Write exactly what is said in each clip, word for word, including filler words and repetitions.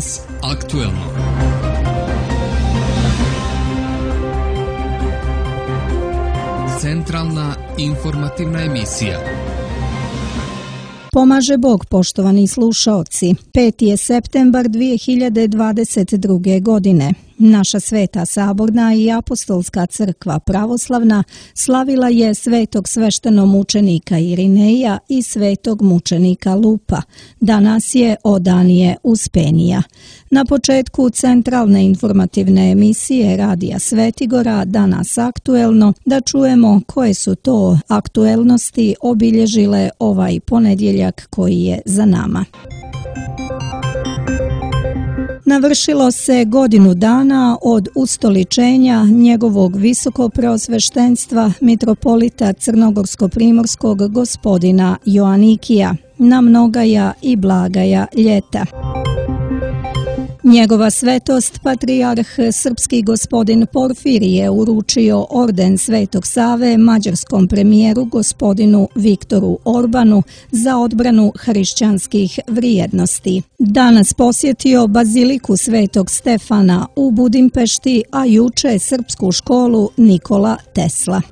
Danas aktuelno. Centralna informativna emisija. Pomaže Bog, poštovani slušaoci. peti je septembar dvije hiljade dvadeset druge. godine. Naša Sveta Saborna i Apostolska crkva pravoslavna slavila je svetog sveštenomučenika Irineja i svetog mučenika Lupa. Danas je Odanije Uspenija. Na početku centralne informativne emisije Radija Svetigora Danas aktuelno da čujemo koje su to aktuelnosti obilježile ovaj ponedjeljak koji je za nama. Navršilo se godinu dana od ustoličenja njegovog visokopreosveštenstva mitropolita crnogorsko-primorskog gospodina Joanikija na mnogaja i blagaja ljeta. Njegova svetost, patrijarh srpski gospodin Porfirije, uručio orden Svetog Save mađarskom premijeru gospodinu Viktoru Orbanu za odbranu hrišćanskih vrijednosti. Danas posjetio baziliku Svetog Stefana u Budimpešti, a juče srpsku školu Nikola Tesla.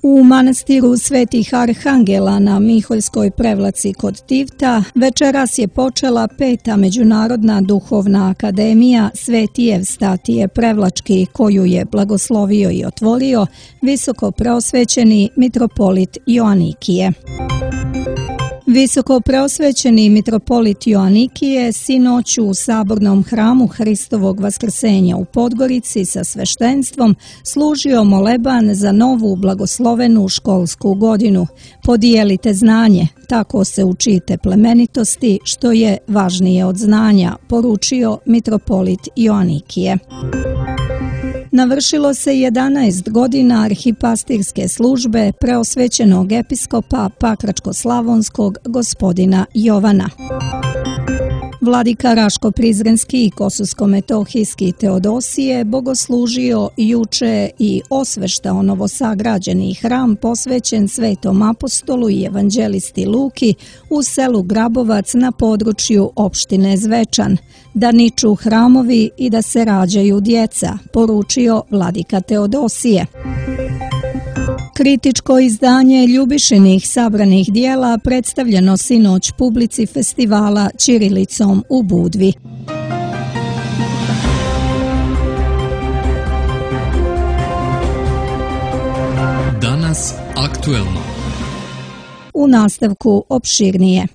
U manastiru Svetih Arhangela na Miholjskoj prevlaci kod Tivta večeras je počela peta međunarodna duhovna akademija Sveti Evstatije Prevlački, koju je blagoslovio i otvorio visoko preosvećeni mitropolit Joanikije. Visoko preosvećeni mitropolit Joanikije sinoć u sabornom hramu Hristovog vaskrsenja u Podgorici sa sveštenstvom služio moleban za novu blagoslovenu školsku godinu. Podijelite znanje, tako se učite plemenitosti, što je važnije od znanja, poručio mitropolit Joanikije. Navršilo se jedanaest godina arhipastirske službe preosvećenog episkopa Pakračko-slavonskog gospodina Jovana. Vladika Raško-Prizrenski i Kososko-metohijski Teodosije bogoslužio juče i osveštao novosagrađeni hram posvećen Svetom apostolu i evanđelisti Luki u selu Grabovac na području opštine Zvečan. Da niču hramovi i da se rađaju djeca, poručio vladika Teodosije. Kritičko izdanje Ljubišinih sabranih dijela predstavljeno sinoć publici festivala ćirilicom u Budvi. Danas aktuelno. U nastavku opširnije.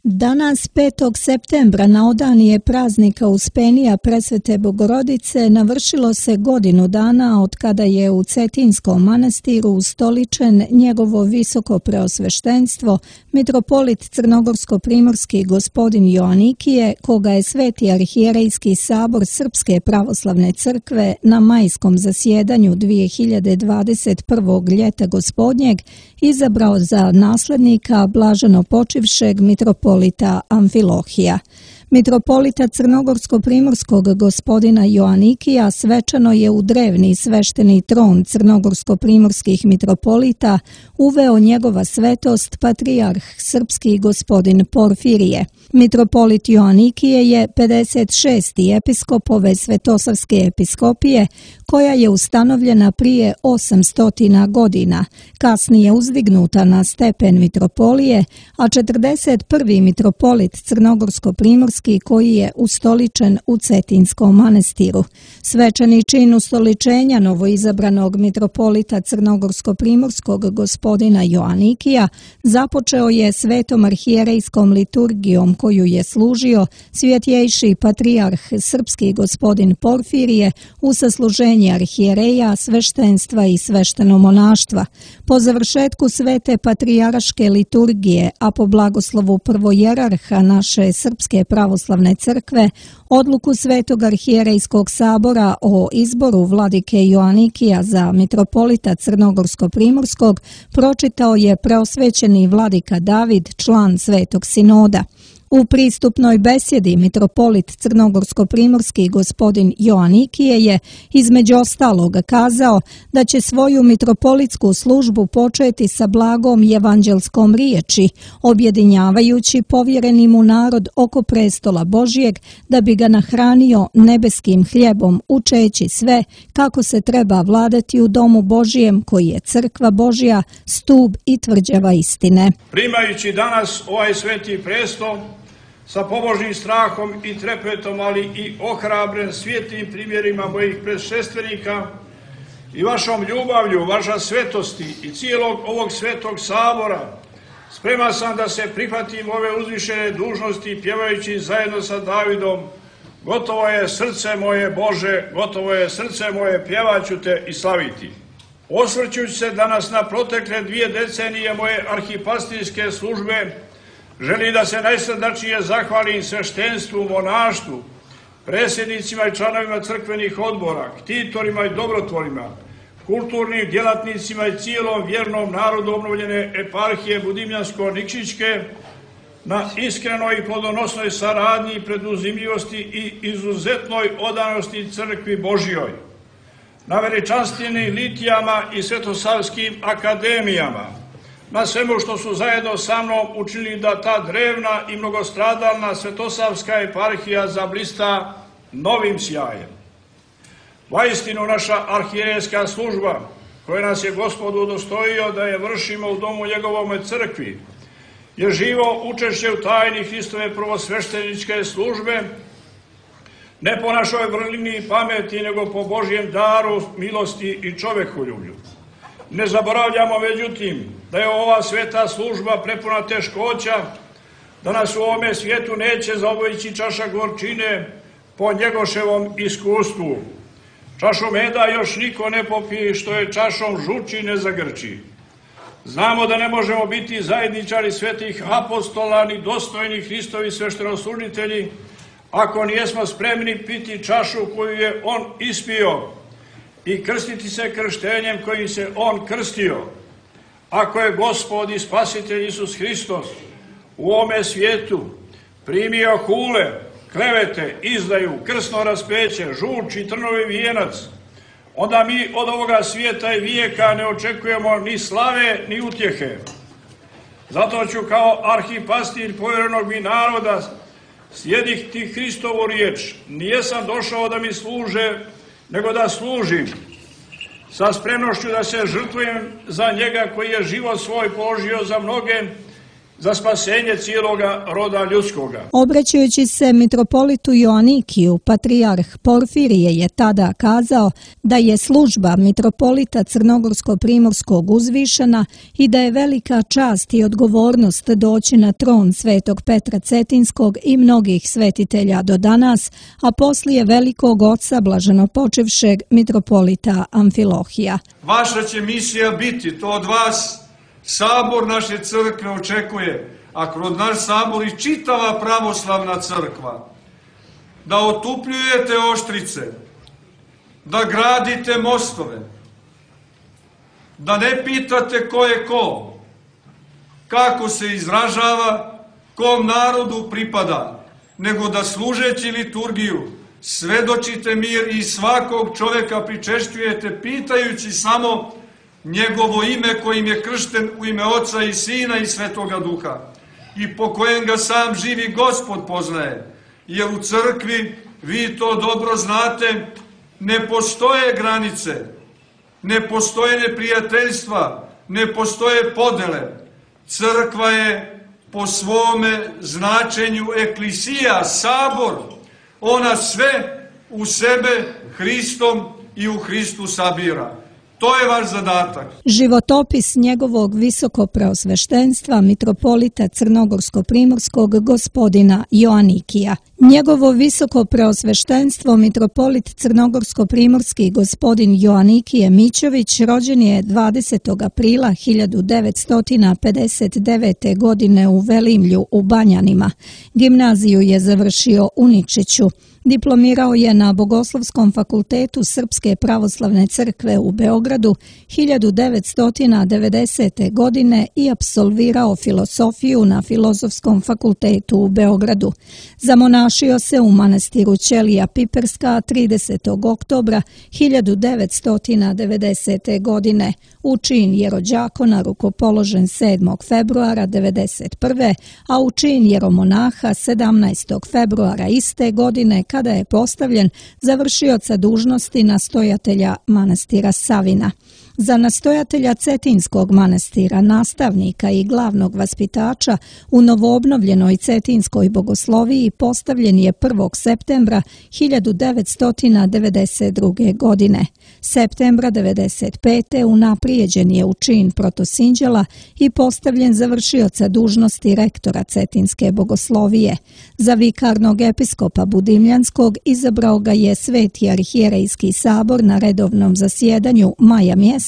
Danas petog septembra na Odanije praznika Uspenija Presvete Bogorodice navršilo se godinu dana od kada je u Cetinskom manastiru ustoličen njegovo visoko preosveštenstvo mitropolit crnogorsko-primorski gospodin Joanikije, koga je Sveti arhijerejski sabor Srpske pravoslavne crkve na majskom zasjedanju dvije hiljade dvadeset prvog. ljeta gospodnjeg izabrao za naslednika blaženo počivšeg mitropolita Amfilohija. Mitropolita crnogorsko-primorskog gospodina Joanikija svečano je u drevni svešteni tron crnogorsko-primorskih mitropolita uveo njegova svetost patrijarh srpski gospodin Porfirije. Mitropolit Joanikije je pedeset šesti episkop ove Svetosavske episkopije, koja je ustanovljena prije osamsto godina, kasnije uzdignuta na stepen mitropolije, a četrdeset prvi mitropolit crnogorsko-primorski koji je ustoličen u Cetinskom manastiru. Svečani čin ustoličenja novoizabranog mitropolita crnogorsko-primorskog gospodina Joanikija započeo je svetom arhijerejskom liturgijom koju je služio svjetjejši patrijarh srpski gospodin Porfirije u sasluženje arhijereja, sveštenstva i sveštenomonaštva. Po završetku svete patrijaraške liturgije, a po blagoslovu prvojerarha naše Srpske pravoslavne crkve, odluku Svetog arhijerejskog sabora o izboru vladike Joanikija za mitropolita crnogorsko-primorskog pročitao je preosvećeni vladika David, član Svetog sinoda. U pristupnoj besjedi mitropolit crnogorsko-primorski gospodin Joanikije je između ostalog kazao da će svoju mitropolitsku službu početi sa blagom evanđelskom riječi, objedinjavajući povjereni mu narod oko prestola Božijeg da bi ga nahranio nebeskim hljebom, učeći sve kako se treba vladati u domu Božijem koji je crkva Božja, stub i tvrđava istine. Primajući danas ovaj sveti prestol sa pobožnim strahom i trepetom, ali i ohrabren svijetlim primjerima mojih predšestvenika i vašom ljubavlju, vaša svetosti i cijelog ovog svetog sabora, spreman sam da se prihvatim ove uzvišene dužnosti pjevajući zajedno sa Davidom: gotovo je srce moje Bože, gotovo je srce moje, pjevaću te i slaviti. Osvrćući se danas na protekle dvije decenije moje arhipastirske službe, želim da se najsrdačnije zahvalim sveštenstvu, monaštvu, predsjednicima i članovima crkvenih odbora, ktitorima i dobrotvorima, kulturnim djelatnicima i cijelom vjernom narodu obnovljene eparhije Budimljansko-Nikšićke na iskrenoj i plodonosnoj saradnji, preduzimljivosti i izuzetnoj odanosti crkvi Božjoj, na veličanstvenim litijama i svetosavskim akademijama, na svemu što su zajedno sa mnom učinili da ta drevna i mnogostradalna svetosavska eparhija zablista novim sjajem. Vaistinu naša arhijerejska služba, koja nas je Gospod udostojio da je vršimo u domu njegovome crkvi, je živo učešće u tajni Hristove prvosvešteničke službe, ne po našoj vrlini i pameti, nego po Božjem daru, milosti i čovekoljublju. Ne zaboravljamo, međutim, da je ova sveta služba prepuna teškoća, da nas u ovome svijetu neće zaobići čaša gorčine po Njegoševom iskustvu. Čašu meda još niko ne popije, što je čašom žuči ne zagrči. Znamo da ne možemo biti zajedničari svetih apostola ni dostojni Hristovi sveštenoslužitelji ako nijesmo spremni piti čašu koju je on ispio i krstiti se krštenjem kojim se on krstio. Ako je Gospod i Spasitelj Isus Hristos u ovome svijetu primio hule, klevete, izdaju, krsno raspeće, žuč i trnovi vijenac, onda mi od ovoga svijeta i vijeka ne očekujemo ni slave ni utjehe. Zato ću kao arhipastir povjerenog mi naroda slijediti Hristovu riječ: nijesam došao da mi služe, nego da služim, sa spremnošću da se žrtvujem za njega koji je život svoj položio za mnoge, za spasenje cijeloga roda ljudskoga. Obraćajući se mitropolitu Joanikiju, patrijarh Porfirije je tada kazao da je služba mitropolita crnogorsko-primorskog uzvišena i da je velika čast i odgovornost doći na tron svetog Petra Cetinskog i mnogih svetitelja do danas, a poslije velikog oca blaženopočevšeg mitropolita Amfilohija. Vaša će misija biti, to od vas sabor naše crkve očekuje, a kroz naš sabor i čitava pravoslavna crkva, da otupljujete oštrice, da gradite mostove, da ne pitate ko je ko, kako se izražava, kom narodu pripada, nego da služeći liturgiju svedočite mir i svakog čovjeka pričešćujete pitajući samo njegovo ime kojim je kršten u ime Oca i Sina i Svetoga Duha i po kojem ga sam živi Gospod poznaje. Jer u crkvi, vi to dobro znate, ne postoje granice, ne postoje neprijateljstva, ne postoje podele. Crkva je po svome značenju eklisija, sabor. Ona sve u sebe Hristom i u Hristu sabira. To je vaš zadatak. Životopis njegovog visokopreosveštenstva mitropolita crnogorsko-primorskog gospodina Joanikija. Njegovo visokopreosveštenstvo mitropolit crnogorsko-primorski gospodin Joanikije Mićović rođen je dvadesetog aprila hiljadu devetsto pedeset devete. godine u Velimlju u Banjanima. Gimnaziju je završio u Nikšiću. Diplomirao je na Bogoslovskom fakultetu Srpske pravoslavne crkve u Beogradu hiljadu devetsto devedesete. godine i apsolvirao filosofiju na Filozofskom fakultetu u Beogradu. Zamonašio se u manastiru Ćelija Piperska tridesetog oktobra hiljadu devetsto devedesete. godine. U čin jerođakona rukopoložen sedmog februara devedeset prve. a u čin jeromonaha sedamnaestog februara iste godine kada je postavljen za vršioca dužnosti nastojatelja manastira Savina. Za nastojatelja Cetinskog manastira, nastavnika i glavnog vaspitača u novoobnovljenoj Cetinskoj bogosloviji postavljen je prvog septembra hiljadu devetsto devedeset druge. godine. Septembra devedeset pete. unaprijeđen je u čin protosinđela i postavljen za vršioca dužnosti rektora Cetinske bogoslovije. Za vikarnog episkopa Budimljanskog izabrao ga je Sveti arhijerejski sabor na redovnom zasjedanju maja mjeseca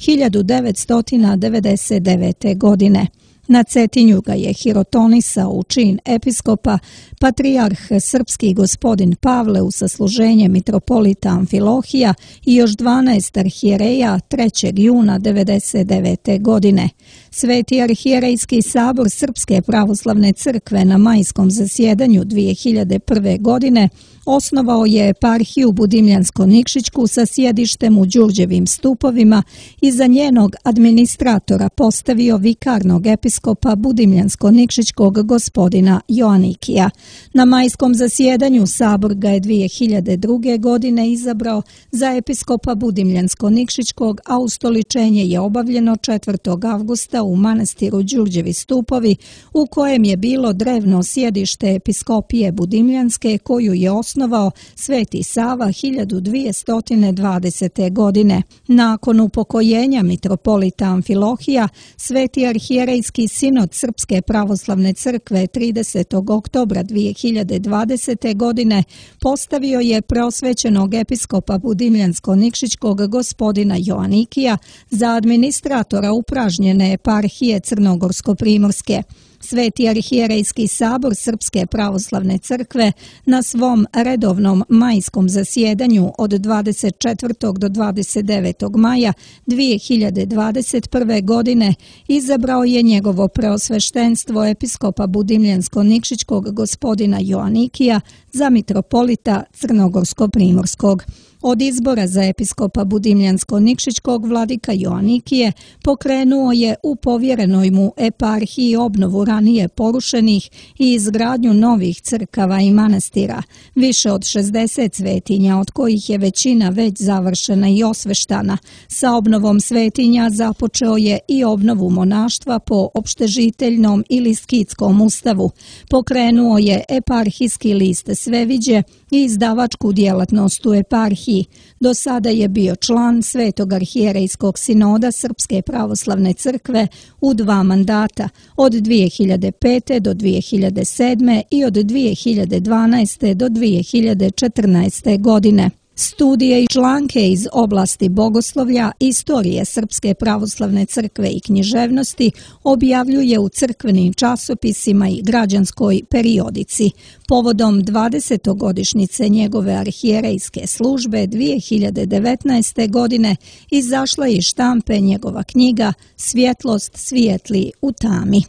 hiljadu devetsto devedeset devete. godine. Na Cetinju ga je hirotonisao u čin episkopa patrijarh srpski gospodin Pavle u sasluženje mitropolita Amfilohija i još dvanaest arhijereja trećeg juna devedeset devete. godine. Sveti arhijerejski sabor Srpske pravoslavne crkve na majskom zasjedanju dvije hiljade prve. godine osnovao je eparhiju Budimljansko-Nikšićku sa sjedištem u Đurđevim stupovima i za njenog administratora postavio vikarnog episkopa Budimljansko-Nikšićkog gospodina Joanikija. Na majskom zasjedanju sabor ga je dvije hiljade druge. godine izabrao za episkopa Budimljansko-Nikšićkog, a ustoličenje je obavljeno četvrtog avgusta u manastiru Đurđevi stupovi, u kojem je bilo drevno sjedište episkopije Budimljanske koju je osnovao Sveti Sava hiljadu dvjesto dvadesete. godine. Nakon upokojenja mitropolita Amfilohija, Sveti arhijerejski sinod Srpske pravoslavne crkve tridesetog oktobra dvije hiljade dvadesete. godine postavio je preosvećenog episkopa Budimljansko-Nikšićkog gospodina Joanikija za administratora upražnjene eparhije Crnogorsko-Primorske. Sveti arhijerejski sabor Srpske pravoslavne crkve na svom redovnom majskom zasjedanju od dvadeset četvrtog do dvadeset devetog maja dvije hiljade dvadeset prve. godine izabrao je njegovo preosveštenstvo episkopa Budimljansko-Nikšićkog gospodina Joanikija za mitropolita Crnogorsko-Primorskog. Od izbora za episkopa Budimljansko-Nikšićkog vladika Joanikije pokrenuo je u povjerenoj mu eparhiji obnovu ranije porušenih i izgradnju novih crkava i manastira, više od šezdeset svetinja, od kojih je većina već završena i osveštana. Sa obnovom svetinja započeo je i obnovu monaštva po opštežiteljnom ili skitskom ustavu. Pokrenuo je eparhijski list Sveviđe i izdavačku djelatnost u eparhiji. Do sada je bio član Svetog arhijerejskog sinoda Srpske pravoslavne crkve u dva mandata, od dvije hiljade pete. do dvije hiljade sedme. i od dvije hiljade dvanaeste. do dvije hiljade četrnaeste. godine. Studije i članke iz oblasti bogoslovlja, istorije Srpske pravoslavne crkve i književnosti objavljuje u crkvenim časopisima i građanskoj periodici. Povodom dvadesetogodišnjice njegove arhijerejske službe dvije hiljade devetnaeste. godine izašla je iz štampe njegova knjiga Svjetlost svijetli u tami.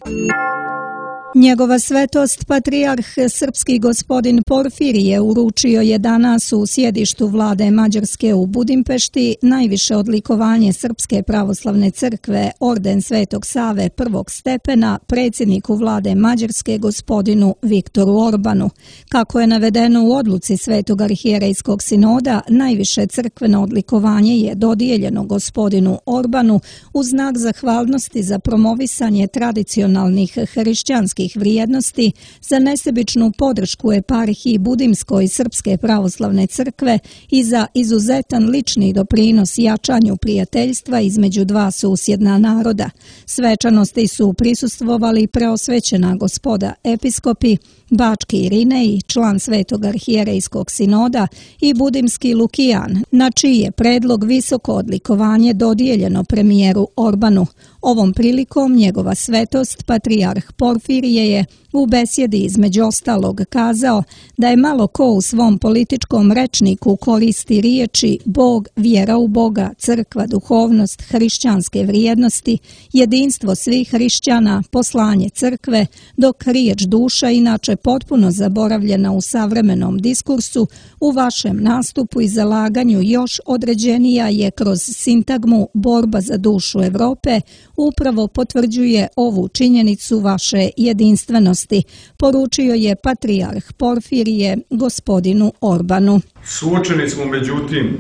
Njegova svetost patrijarh srpski gospodin Porfirije uručio je danas u sjedištu vlade Mađarske u Budimpešti najviše odlikovanje Srpske pravoslavne crkve, orden Svetog Save prvog stepena, predsjedniku vlade Mađarske gospodinu Viktoru Orbanu. Kako je navedeno u odluci Svetog arhijerejskog sinoda, najviše crkveno odlikovanje je dodijeljeno gospodinu Orbanu u znak zahvalnosti za promovisanje tradicionalnih hrišćanskih vrijednosti, za nesebičnu podršku eparhiji Budimskoj Srpske pravoslavne crkve i za izuzetan lični doprinos jačanju prijateljstva između dva susjedna naroda. Svečanosti su prisustvovali preosvećena gospoda episkopi, Bački Irinej, član Svetog arhijerejskog sinoda, i Budimski Lukijan, na čiji je predlog visoko odlikovanje dodijeljeno premijeru Orbanu. Ovom prilikom njegova svetost, patrijarh Porfirije, je u besjedi između ostalog kazao da je malo ko u svom političkom rečniku koristi riječi Bog, vjera u Boga, crkva, duhovnost, hrišćanske vrijednosti, jedinstvo svih hrišćana, poslanje crkve, dok riječ duša, inače potpuno zaboravljena u savremenom diskursu, u vašem nastupu i zalaganju još određenija je kroz sintagmu borba za dušu Europe, upravo potvrđuje ovu činjenicu vaše jedinstvenosti, poručio je patrijarh Porfirije gospodinu Orbanu. Suočeni smo međutim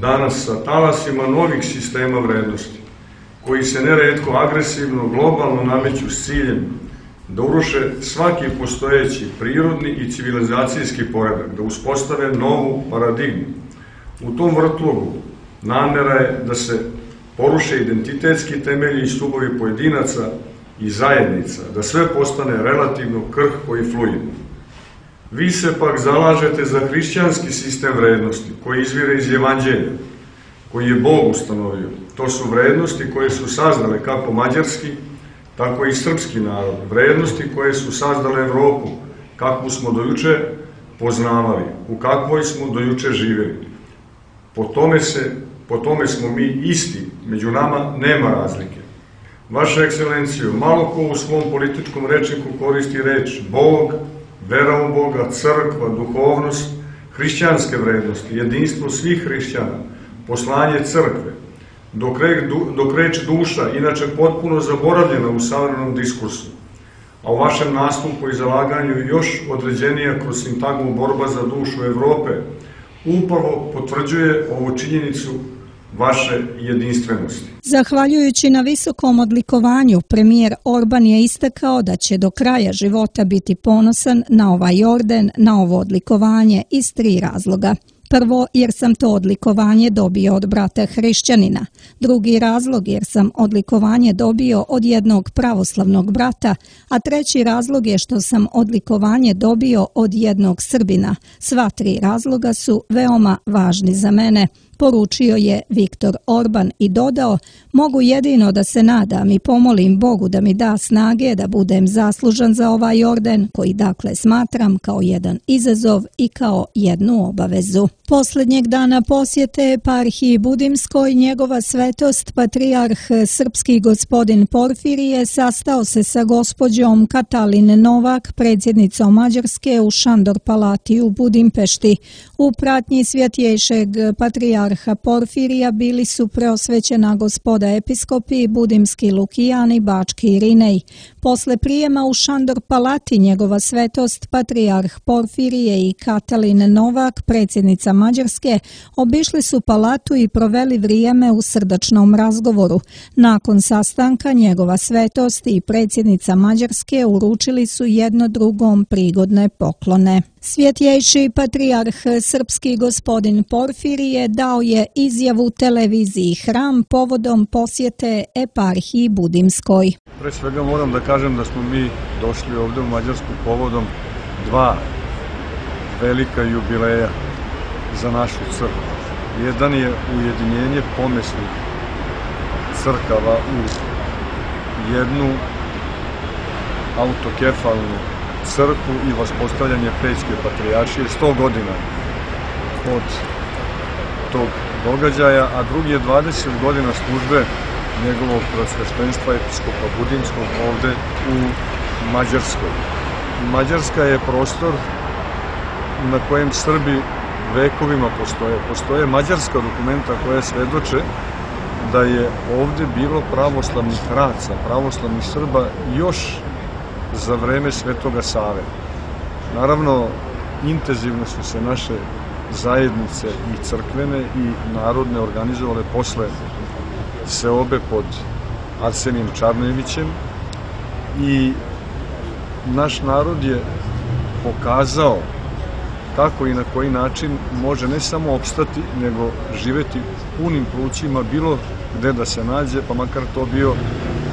danas sa talasima novih sistema vrednosti, koji se neretko agresivno, globalno nameću s ciljem da uruše svaki postojeći prirodni i civilizacijski poredak, da uspostave novu paradigmu. U tom vrtlogu namera je da se poruše identitetski temelji i stubovi pojedinaca i zajednica, da sve postane relativno krhko i fluidno. Vi se pak zalažete za hrišćanski sistem vrednosti koji izvire iz Evanđelja, koji je Bog ustanovio. To su vrednosti koje su sazdale kako mađarski, tako i srpski narod. Vrednosti koje su sazdale Evropu, kakvu smo dojuče poznavali, u kakvoj smo dojuče živjeli. Po tome, se, po tome smo mi isti, među nama nema razlike. Vaša ekscelencijo, malo ko u svom političkom rečniku koristi reč Bog, vera u Boga, crkva, duhovnost, hrišćanske vrednosti, jedinstvo svih hrišćana, poslanje crkve, dok, re, dok reč duša, inače potpuno zaboravljena u savremenom diskursu, a u vašem nastupu i zalaganju još određenija kroz sintagmu borba za dušu Evrope, upravo potvrđuje ovu činjenicu vaše jedinstvenosti. Zahvaljujući na visokom odlikovanju, premijer Orban je istakao da će do kraja života biti ponosan na ovaj orden, na ovo odlikovanje iz tri razloga. Prvo, jer sam to odlikovanje dobio od brata hrišćanina. Drugi razlog, jer sam odlikovanje dobio od jednog pravoslavnog brata, a treći razlog je što sam odlikovanje dobio od jednog Srbina. Sva tri razloga su veoma važni za mene, poručio je Viktor Orban i dodao: mogu jedino da se nadam i pomolim Bogu da mi da snage da budem zaslužan za ovaj orden, koji dakle smatram kao jedan izazov i kao jednu obavezu. Posljednjeg dana posjete eparhiji Budimskoj njegova svetost patrijarh srpski gospodin Porfirije sastao se sa gospođom Katalin Novak, predsjednicom Mađarske, u Šandor palati u Budimpešti. U pratnji svjetjejšeg patrijarha Porfirija bili su preosvećena gospoda episkopi, Budimski Lukijan i Bački Irinej. Posle prijema u Šandor palati njegova svetost patrijarh Porfirije i Katalin Novak, predsjednica Mađarske, obišli su palatu i proveli vrijeme u srdačnom razgovoru. Nakon sastanka njegova svetost i predsjednica Mađarske uručili su jedno drugom prigodne poklone. Svjetjejši patrijarh srpski gospodin Porfirije dao je izjavu televiziji Hram povodom posjete eparhiji Budimskoj. Pre svega moram da kažem da smo mi došli ovdje u Mađarsku povodom dva velika jubileja za našu crkvu. Jedan je ujedinjenje pomesnih crkava u jednu autokefalnu crkvu i vaspostavljanje Pećke patrijaršije, sto godina od tog događaja, a drugi je dvadeset godina službe njegovog preosveštenstva episkopa Budimskog ovde u Mađarskoj. Mađarska je prostor na kojem Srbi vekovima postoje. Postoje mađarska dokumenta koja svedoče da je ovde bilo pravoslavnih raca, pravoslavnih Srba još za vreme Svetoga Save. Naravno, intenzivno su se naše zajednice i crkvene i narodne organizovale posle seobe pod Arsenijem Čarnojevićem i naš narod je pokazao kako i na koji način može ne samo opstati, nego živeti punim plućima bilo gde da se nađe, pa makar to bio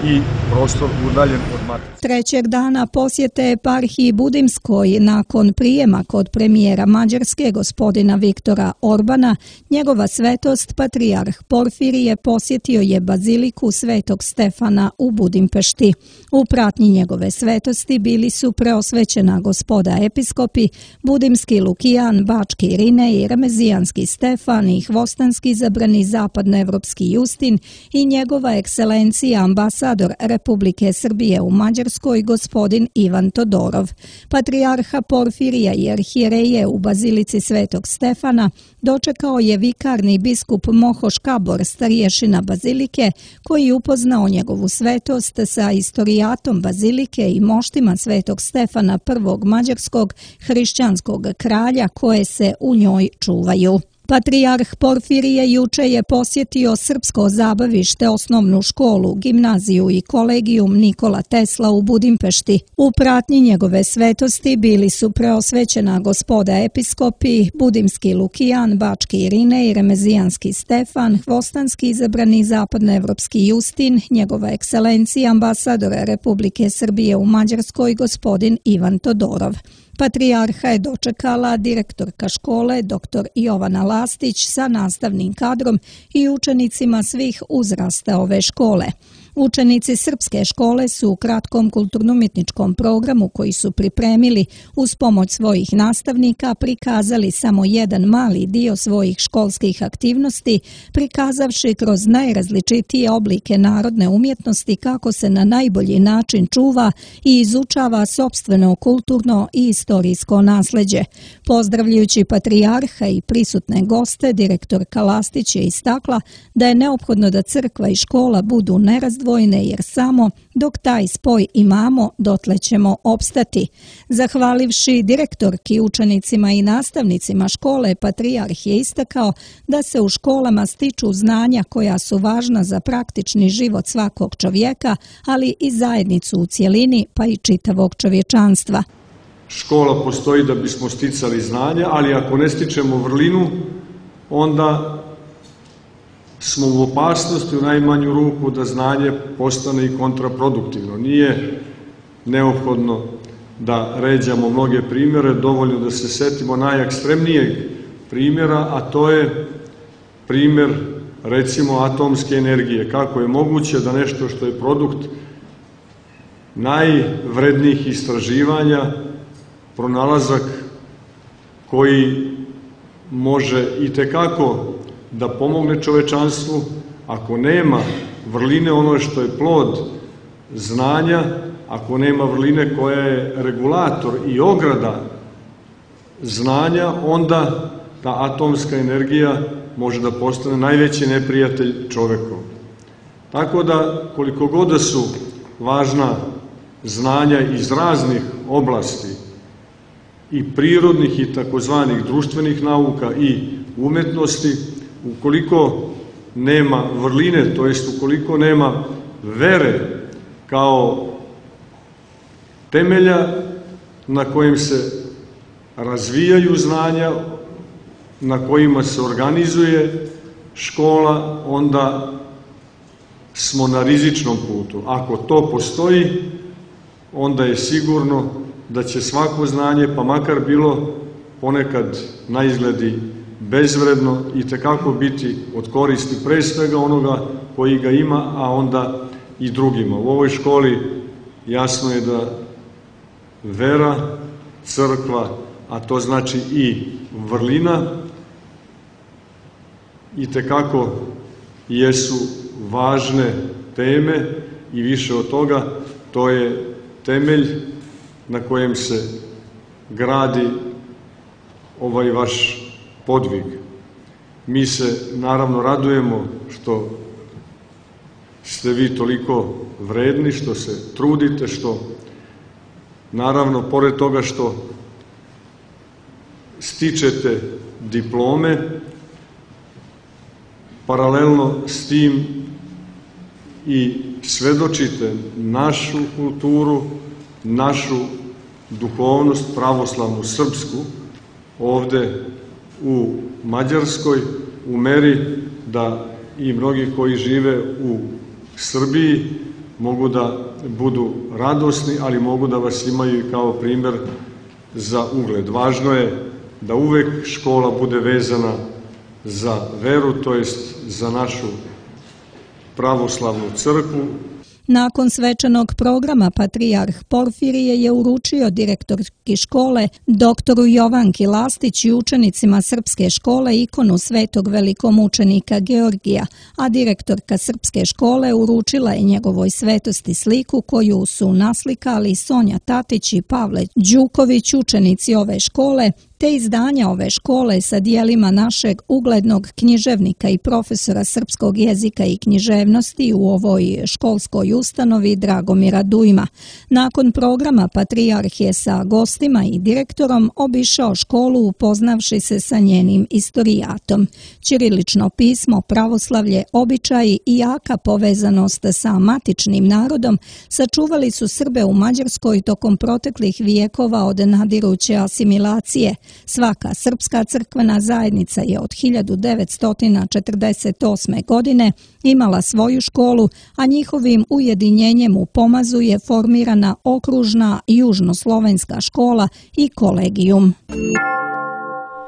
i prostor udaljen od matice. Trećeg dana posjete eparhiji Budimskoj nakon prijema kod premijera Mađarske gospodina Viktora Orbana, njegova svetost patrijarh Porfirije posjetio je baziliku Svetog Stefana u Budimpešti. U pratnji njegove svetosti bili su preosvećena gospoda episkopi, budimski Lukijan, bački Irinej, remezijanski Stefan i hvostanski izabrani zapadnoevropski Justin i njegova ekscelencija ambasador Republike Srbije u Mađarskoj gospodin Ivan Todorov. Patrijarha Porfirija i arhijereje u bazilici Svetog Stefana dočekao je vikarni biskup Moho Škabor, starješina bazilike, koji upoznao njegovu svetost sa istorijatom bazilike i moštima Svetog Stefana prvog mađarskog hrišćanskog kralja koje se u njoj čuvaju. Patrijarh Porfirije juče je posjetio Srpsko zabavište, osnovnu školu, gimnaziju i kolegijum Nikola Tesla u Budimpešti. U pratnji njegove svetosti bili su preosvećena gospoda episkopi, budimski Lukijan, bački Irinej, remezijanski Stefan, hvostanski izabrani zapadnoevropski Justin, njegova ekscelencija ambasador Republike Srbije u Mađarskoj gospodin Ivan Todorov. Patrijarha je dočekala direktorka škole dr Jovana Lastić sa nastavnim kadrom i učenicima svih uzrasta ove škole. Učenici srpske škole su u kratkom kulturno-umjetničkom programu koji su pripremili uz pomoć svojih nastavnika prikazali samo jedan mali dio svojih školskih aktivnosti, prikazavši kroz najrazličitije oblike narodne umjetnosti kako se na najbolji način čuva i izučava sopstveno kulturno i istorijsko nasleđe. Pozdravljajući patrijarha i prisutne goste, direktorka Lastić je istakla da je neophodno da crkva i škola budu nerazdvojene, jer samo dok taj spoj imamo, dotle ćemo opstati. Zahvalivši direktorki, učenicima i nastavnicima škole, patrijarh je istakao da se u školama stiču znanja koja su važna za praktični život svakog čovjeka, ali i zajednicu u cjelini, pa i čitavog čovječanstva. Škola postoji da bismo sticali znanja, ali ako ne stičemo vrlinu, onda smo u opasnosti u najmanju ruku da znanje postane i kontraproduktivno. Nije neophodno da ređamo mnoge primjere, dovoljno da se setimo najekstremnijeg primjera, a to je primjer, recimo, atomske energije. Kako je moguće da nešto što je produkt najvrednijih istraživanja, pronalazak koji može itekako da pomogne čovečanstvu, ako nema vrline ono što je plod znanja, ako nema vrline koja je regulator i ograda znanja, onda ta atomska energija može da postane najveći neprijatelj čovekov. Tako da, koliko god da su važna znanja iz raznih oblasti i prirodnih i takozvanih društvenih nauka i umetnosti, ukoliko nema vrline, to jest ukoliko nema vere kao temelja na kojim se razvijaju znanja, na kojima se organizuje škola, onda smo na rizičnom putu. Ako to postoji, onda je sigurno da će svako znanje, pa makar bilo ponekad na izgledi bezvredno, i tekako biti od koristi pre svega onoga koji ga ima, a onda i drugima. U ovoj školi jasno je da vera, crkva, a to znači i vrlina, i tekako jesu važne teme i više od toga, to je temelj na kojem se gradi ovaj vaš podvig. Mi se naravno radujemo što ste vi toliko vredni, što se trudite, što naravno pored toga što stičete diplome, paralelno s tim i svedočite našu kulturu, našu duhovnost, pravoslavnu, srpsku, ovde u Mađarskoj, u meri da i mnogi koji žive u Srbiji mogu da budu radosni, ali mogu da vas imaju i kao primer za ugled. Važno je da uvek škola bude vezana za veru, to jest za našu pravoslavnu crkvu. Nakon svečanog programa patrijarh Porfirije je uručio direktorki škole doktoru Jovanki Lastić i učenicima srpske škole ikonu svetog velikomučenika Georgija, a direktorka srpske škole uručila je njegovoj svetosti sliku koju su naslikali Sonja Tatić i Pavle Đuković, učenici ove škole, te izdanja ove škole sa dijelima našeg uglednog književnika i profesora srpskog jezika i književnosti u ovoj školskoj ustanovi Dragomira Dujma. Nakon programa patrijarh je sa gostima i direktorom obišao školu upoznavši se sa njenim istorijatom. Ćirilično pismo, pravoslavlje, običaji i jaka povezanost sa matičnim narodom sačuvali su Srbe u Mađarskoj tokom proteklih vijekova od nadiruće asimilacije. Svaka srpska crkvena zajednica je od hiljadu devetsto četrdeset osme. godine imala svoju školu, a njihovim ujedinjenjem u Pomazu je formirana okružna južnoslovenska škola i kolegijum.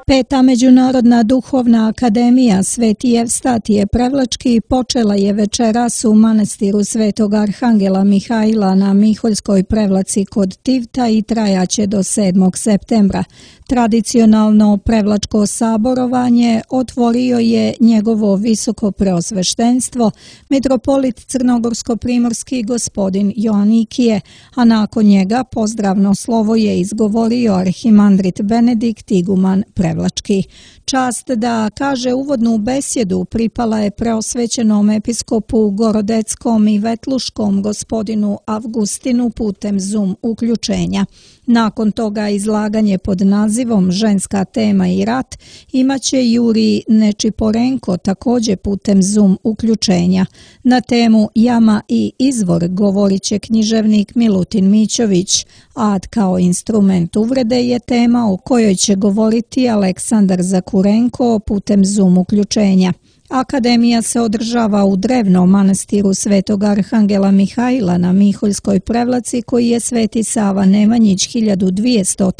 Peta Međunarodna duhovna akademija Sveti Evstatije Prevlački počela je večeras u manastiru Svetog Arhangela Mihajla na Miholjskoj Prevlaci kod Tivta i trajaće do sedmog septembra. Tradicionalno prevlačko saborovanje otvorio je njegovo visoko preosveštenstvo, mitropolit crnogorsko-primorski gospodin Joanikije, a nakon njega pozdravno slovo je izgovorio arhimandrit Benedikt iguman Prevlački. Čast da kaže uvodnu besjedu pripala je preosvećenom episkopu Gorodeckom i Vetluškom gospodinu Avgustinu putem Zoom uključenja. Nakon toga izlaganje pod nazivom Ženska tema i rat imaće Jurij Nečiporenko također putem Zoom uključenja. Na temu Jama i izvor govorit će književnik Milutin Mićović, ad kao instrument uvrede je tema o kojoj će govoriti Aleksandar Zakurenko putem Zoom uključenja. Akademija se održava u drevnom manastiru Svetog Arhangela Mihajla na Miholjskoj Prevlaci koji je Sveti Sava Nemanjić hiljadu dvjesto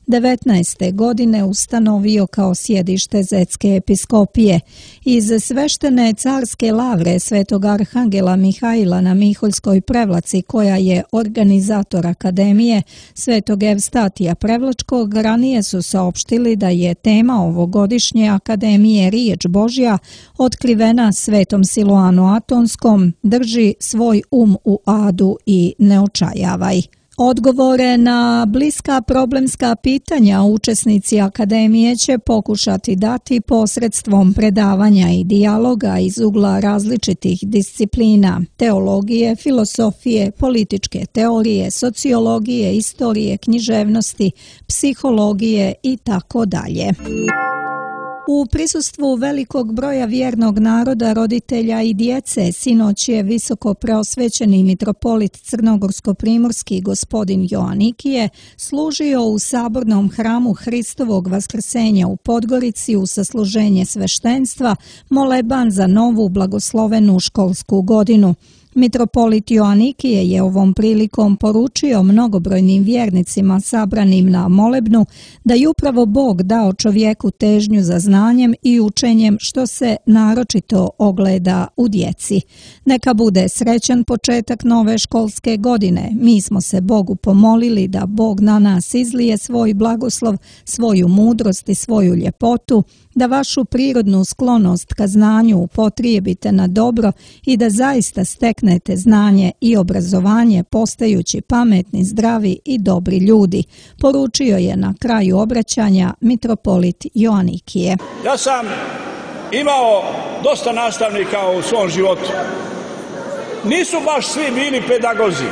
devetnaeste. godine ustanovio kao sjedište Zetske episkopije. Iz sveštene carske lavre Svetog Arhangela Mihajla na Miholjskoj Prevlaci koja je organizator Akademije Svetog Evstatija Prevlačkog ranije su saopštili da je tema ovogodišnje Akademije riječ Božja otkrivena Svetom Siloanu Atonskom, drži svoj um u adu i ne očajavaj. Odgovore na bliska problemska pitanja učesnici Akademije će pokušati dati posredstvom predavanja i dijaloga iz ugla različitih disciplina, teologije, filosofije, političke teorije, sociologije, istorije, književnosti, psihologije i tako dalje. U prisustvu velikog broja vjernog naroda, roditelja i djece, sinoć je visoko preosvećeni mitropolit crnogorsko-primorski gospodin Joanikije služio u sabornom hramu Hristovog vaskrsenja u Podgorici u sasluženje sveštenstva, moleban za novu blagoslovenu školsku godinu. Mitropolit Joanikije je ovom prilikom poručio mnogobrojnim vjernicima sabranim na molebnu da je upravo Bog dao čovjeku težnju za znanjem i učenjem što se naročito ogleda u djeci. Neka bude srećan početak nove školske godine. Mi smo se Bogu pomolili da Bog na nas izlije svoj blagoslov, svoju mudrost i svoju ljepotu, da vašu prirodnu sklonost ka znanju upotrijebite na dobro i da zaista steknete znanje i obrazovanje postajući pametni, zdravi i dobri ljudi, poručio je na kraju obraćanja mitropolit Joanikije. Ja sam imao dosta nastavnika u svom životu. Nisu baš svi bili pedagozi,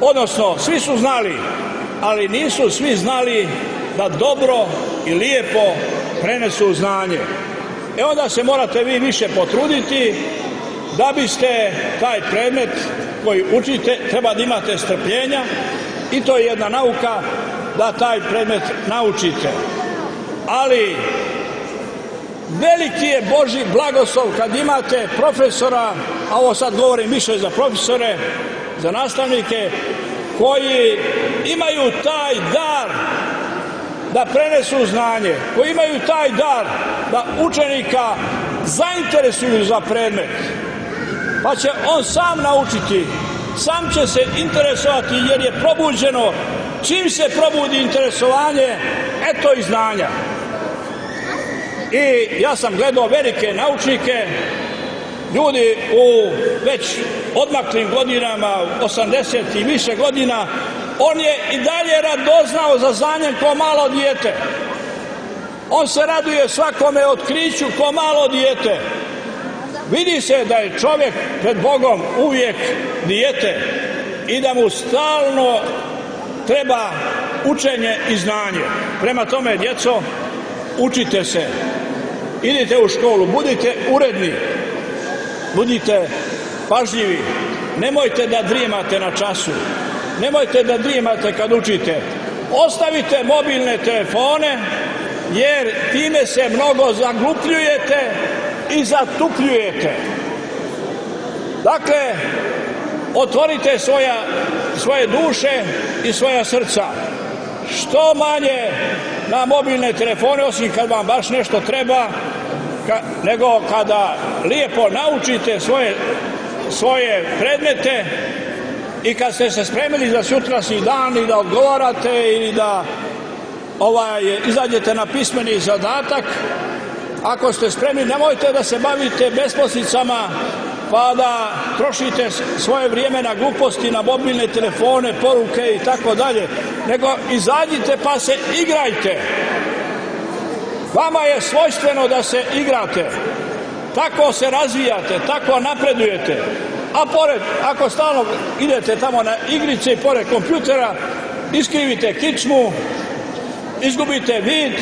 odnosno svi su znali, ali nisu svi znali da dobro i lijepo prenesu znanje. E onda se morate vi više potruditi da biste taj predmet koji učite, treba da imate strpljenja i to je jedna nauka da taj predmet naučite. Ali veliki je Božji blagoslov kad imate profesora, a ovo sad govorim više za profesore, za nastavnike, koji imaju taj dar da prenesu znanje, koji imaju taj dar da učenika zainteresuju za predmet, pa će on sam naučiti, sam će se interesovati jer je probuđeno. Čim se probudi interesovanje, eto i znanja. I ja sam gledao velike naučnike, ljudi u već odmaklim godinama, osamdeset i više godina, on je i dalje radoznao za znanjem ko malo dijete. On se raduje svakome otkriću ko malo dijete. Vidi se da je čovjek pred Bogom uvijek dijete i da mu stalno treba učenje i znanje. Prema tome, djeco, učite se, idite u školu, budite uredni, budite pažljivi, nemojte da drijemate na času, nemojte da drijemate kad učite. Ostavite mobilne telefone, jer time se mnogo zaglupljujete i zatupljujete. Dakle, otvorite svoja, svoje duše i svoja srca. Što manje na mobilne telefone, osim kad vam baš nešto treba, ka, nego kada lijepo naučite svoje, svoje predmete i kad ste se spremili za sutrašnji dan i da odgovarate ili da ovaj, izađete na pismeni zadatak, ako ste spremni, nemojte da se bavite besposlicama pa da trošite svoje vrijeme na gluposti, na mobilne telefone, poruke i tako dalje, nego izađite pa se igrajte. Vama je svojstveno da se igrate. Tako se razvijate, tako napredujete. A pored, ako stalno idete tamo na igrice i pored kompjutera, iskrivite kičmu, izgubite vid,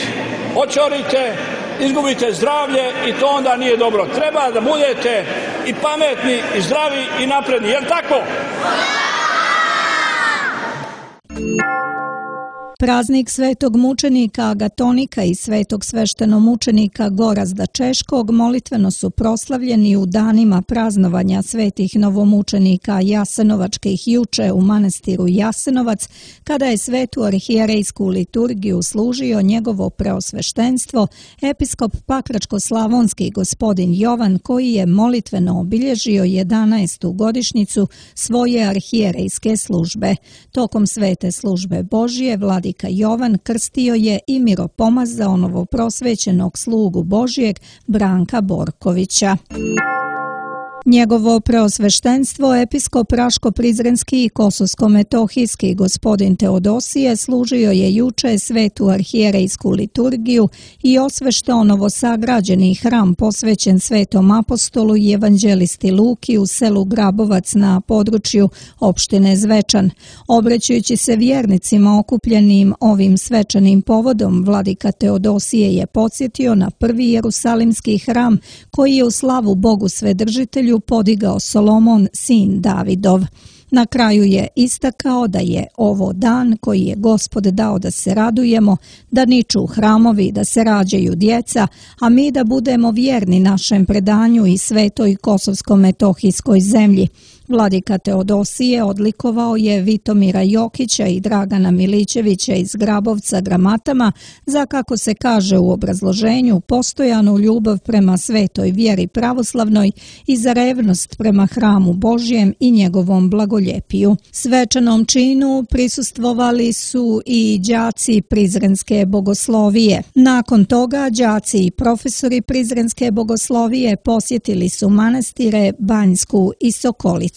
očorite, izgubite zdravlje i to onda nije dobro. Treba da budete i pametni, i zdravi, i napredni. Jel' tako? Praznik svetog mučenika Agatonika i svetog sveštenomučenika Gorazda Češkog molitveno su proslavljeni u danima praznovanja svetih novomučenika jasenovačkih juče u manastiru Jasenovac, kada je svetu arhijerejsku liturgiju služio njegovo preosveštenstvo, episkop Pakračko-slavonski gospodin Jovan, koji je molitveno obilježio jedanaestu godišnjicu svoje arhijerejske službe. Tokom svete službe Božije, vladika Jovan krstio je i miropomazao novoprosvećenog slugu Božijeg Branka Borkovića. Njegovo preosveštenstvo episkop Raško-Prizrenski i Kosovsko-metohijski gospodin Teodosije služio je juče svetu arhijerejsku liturgiju i osveštao novosagrađeni hram posvećen svetom apostolu i evanđelisti Luki u selu Grabovac na području opštine Zvečan. Obraćajući se vjernicima okupljenim ovim svečanim povodom, vladika Teodosije je podsjetio na prvi jerusalimski hram koji je u slavu Bogu Svedržitelju podigao Solomon, sin Davidov. Na kraju je istakao da je ovo dan koji je Gospod dao da se radujemo, da niču hramovi, da se rađaju djeca, a mi da budemo vjerni našem predanju i svetoj kosovsko-metohijskoj zemlji. Vladika Teodosije odlikovao je Vitomira Jokića i Dragana Milićevića iz Grabovca gramatama za, kako se kaže u obrazloženju, postojanu ljubav prema svetoj vjeri pravoslavnoj i za revnost prema hramu Božjem i njegovom blagoljepiju. Svečanom činu prisustvovali su i đaci Prizrenske bogoslovije. Nakon toga đaci i profesori Prizrenske bogoslovije posjetili su manastire Banjsku i Sokolicu.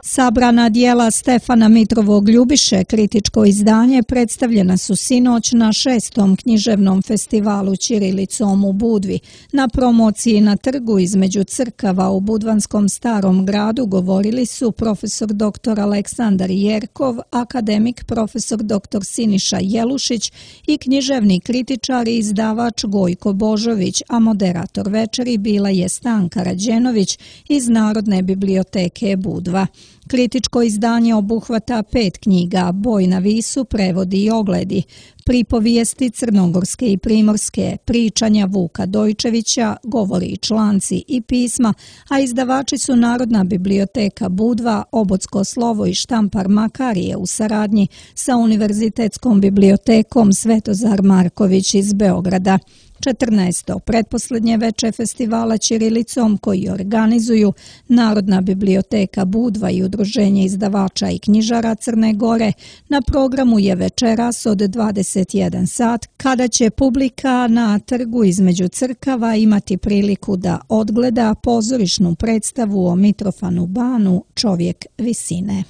Sabrana dijela Stefana Mitrovog Ljubiše, kritičko izdanje, predstavljena su sinoć na šestom književnom festivalu ćirilicom u Budvi. Na promociji na trgu između crkava u budvanskom Starom gradu govorili su profesor doktor Aleksandar Jerkov, akademik profesor doktor Siniša Jelušić i književni kritičar i izdavač Gojko Božović, a moderator večeri bila je Stanka Rađenović iz Narodne biblioteke Budva. Kritičko izdanje obuhvata pet knjiga, Boj na Visu, prevodi i ogledi, pripovijesti crnogorske i primorske, pričanja Vuka Dojčevića, govori i članci i pisma, a izdavači su Narodna biblioteka Budva, Obodsko slovo i štampar Makarije u saradnji sa Univerzitetskom bibliotekom Svetozar Marković iz Beograda. četrnaesto pretposlednje veče festivala ćirilicom koji organizuju Narodna biblioteka Budva i Udruženje izdavača i knjižara Crne Gore. Na programu je večeras od dvadeset jedan sat, kada će publika na trgu između crkava imati priliku da odgleda pozorišnu predstavu o Mitrofanu Banu Čovjek visine.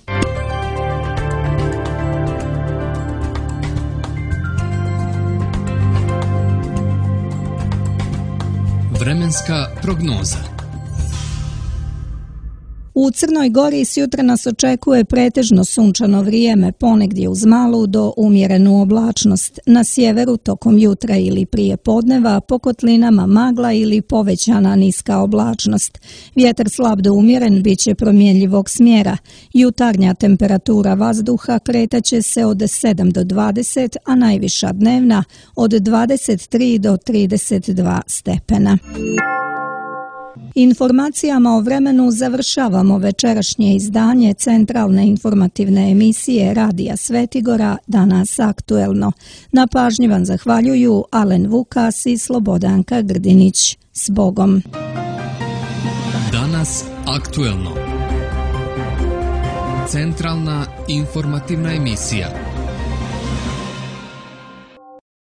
Vremenska prognoza. U Crnoj Gori sjutra nas očekuje pretežno sunčano vrijeme, ponegdje uz malu do umjerenu oblačnost. Na sjeveru tokom jutra ili prije podneva po kotlinama magla ili povećana niska oblačnost. Vjetar slab do umjeren bit će promjenjivog smjera. Jutarnja temperatura vazduha kretaće se od sedam do dvadeset, a najviša dnevna od dvadeset tri do trideset dva stepena. Informacijama o vremenu završavamo večerašnje izdanje centralne informativne emisije Radija Svetigora Danas aktuelno. Na pažnji vam zahvaljuju Alen Vukas i Slobodanka Grdinić. S Bogom! Danas aktuelno. Centralna informativna emisija.